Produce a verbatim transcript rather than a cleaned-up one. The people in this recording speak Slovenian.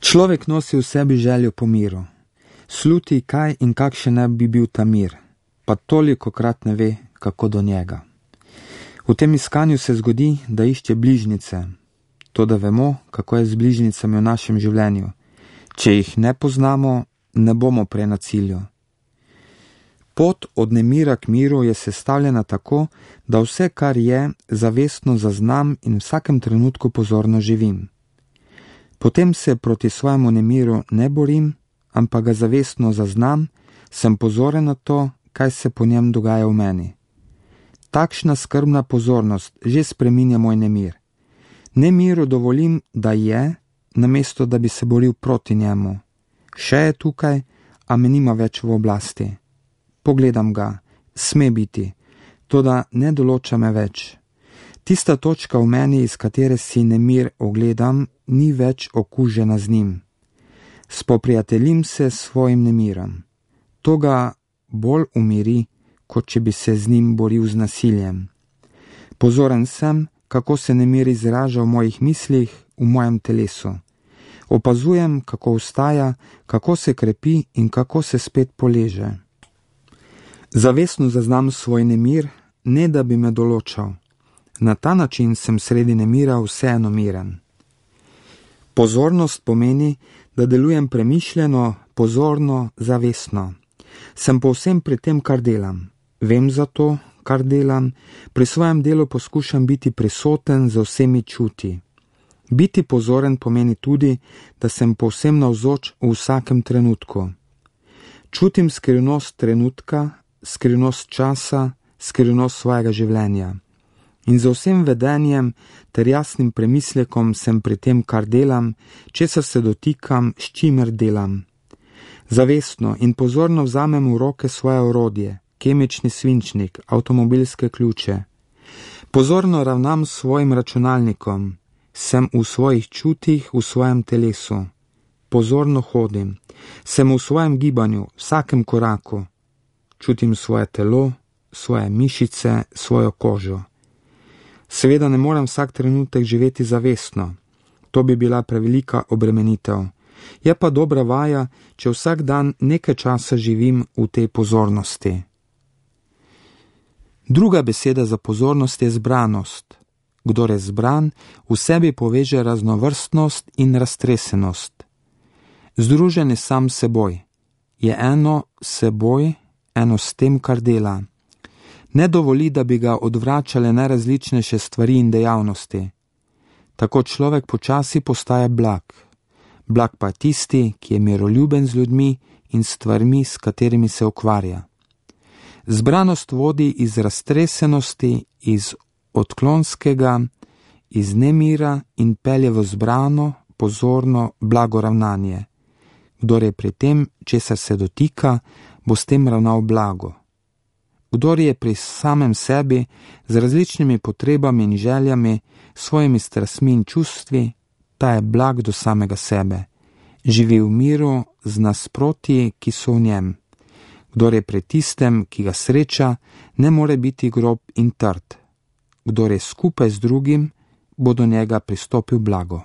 Človek nosi v sebi željo po miru. Sluti, kaj in kakšen ne bi bil ta mir, pa tolikokrat ne ve, kako do njega. V tem iskanju se zgodi, da išče bližnjice, to da vemo, kako je z bližnjicami v našem življenju. Če jih ne poznamo, ne bomo prej na cilju. Pot od nemira k miru je sestavljena tako, da vse, kar je, zavestno zaznam in v vsakem trenutku pozorno živim. Potem se proti svojemu nemiru ne borim, ampak ga zavestno zaznam, sem pozoren na to, kaj se po njem dogaja v meni. Takšna skrbna pozornost že spreminja moj nemir. Nemiru dovolim, da je, namesto da bi se boril proti njemu. Še je tukaj, a me nima več v oblasti. Pogledam ga, sme biti, toda ne določa me več. Tista točka v meni, iz katere si nemir ogledam, ni več okužena z njim. Spoprijateljim se s svojim nemirom. To ga bolj umiri, kot če bi se z njim boril z nasiljem. Pozoren sem, kako se nemir izraža v mojih mislih, v mojem telesu. Opazujem, kako vstaja, kako se krepi in kako se spet poleže. Zavestno zaznam svoj nemir, ne da bi me določal. Na ta način sem sredi nemira vseeno miren. Pozornost pomeni, da delujem premišljeno, pozorno, zavestno. Sem povsem pri tem, kar delam. Vem za to, kar delam, pri svojem delu poskušam biti prisoten z vsemi čuti. Biti pozoren pomeni tudi, da sem povsem navzoč v vsakem trenutku. Čutim skrivnost trenutka, skrivnost časa, skrivnost svojega življenja. In z vsem vedenjem ter jasnim premislekom sem pri tem, kar delam, česar se dotikam, s čimer delam. Zavestno in pozorno vzamem v roke svoje orodje, kemični svinčnik, avtomobilske ključe. Pozorno ravnam s svojim računalnikom, sem v svojih čutih, v svojem telesu. Pozorno hodim, sem v svojem gibanju, vsakem koraku. Čutim svoje telo, svoje mišice, svojo kožo. Seveda ne morem vsak trenutek živeti zavestno. To bi bila prevelika obremenitev. Je pa dobra vaja, če vsak dan nekaj časa živim v tej pozornosti. Druga beseda za pozornost je zbranost. Kdor je zbran, v sebi poveže raznovrstnost in raztresenost. Združen je sam seboj. Je eno seboj, eno s tem, kar dela. Ne dovoli, da bi ga odvračale najrazličnejše stvari in dejavnosti. Tako človek počasi postaje blag. Blag pa tisti, ki je miroljuben z ljudmi in stvarmi, s katerimi se ukvarja. Zbranost vodi iz raztresenosti, iz odklonskega, iz nemira in pelje v zbrano, pozorno, blago ravnanje. Kdor je pri tem, česar se dotika, bo s tem ravnal blago. Kdor je pri samem sebi, z različnimi potrebami in željami, svojimi strastmi in čustvi, ta je blag do samega sebe. Živi v miru z nasprotji, ki so v njem. Kdor je pri tistem, ki ga sreča, ne more biti grob in trd. Kdor je skupaj z drugim, bo do njega pristopil blago.